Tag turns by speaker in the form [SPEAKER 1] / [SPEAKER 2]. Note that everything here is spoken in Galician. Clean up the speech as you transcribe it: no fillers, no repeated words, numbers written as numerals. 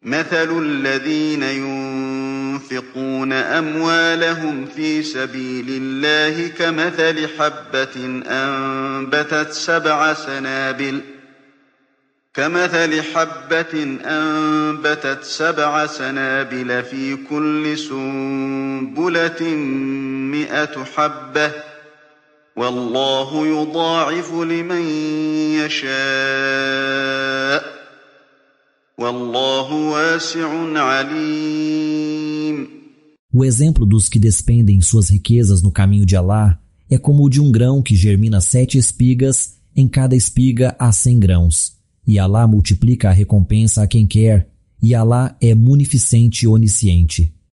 [SPEAKER 1] مثل الذين ينفقون أموالهم في سبيل الله كمثل حبة أنبتت 7 سنابل في كل سنبلة 100 حبة والله يضاعف لمن يشاء والله واسع عليم.
[SPEAKER 2] O exemplo dos que despendem suas riquezas no caminho de Alá é como o de um grão que germina 7 espigas, em cada espiga há 100 grãos. E Alá multiplica a recompensa a quem quer, e Alá é munificente e onisciente.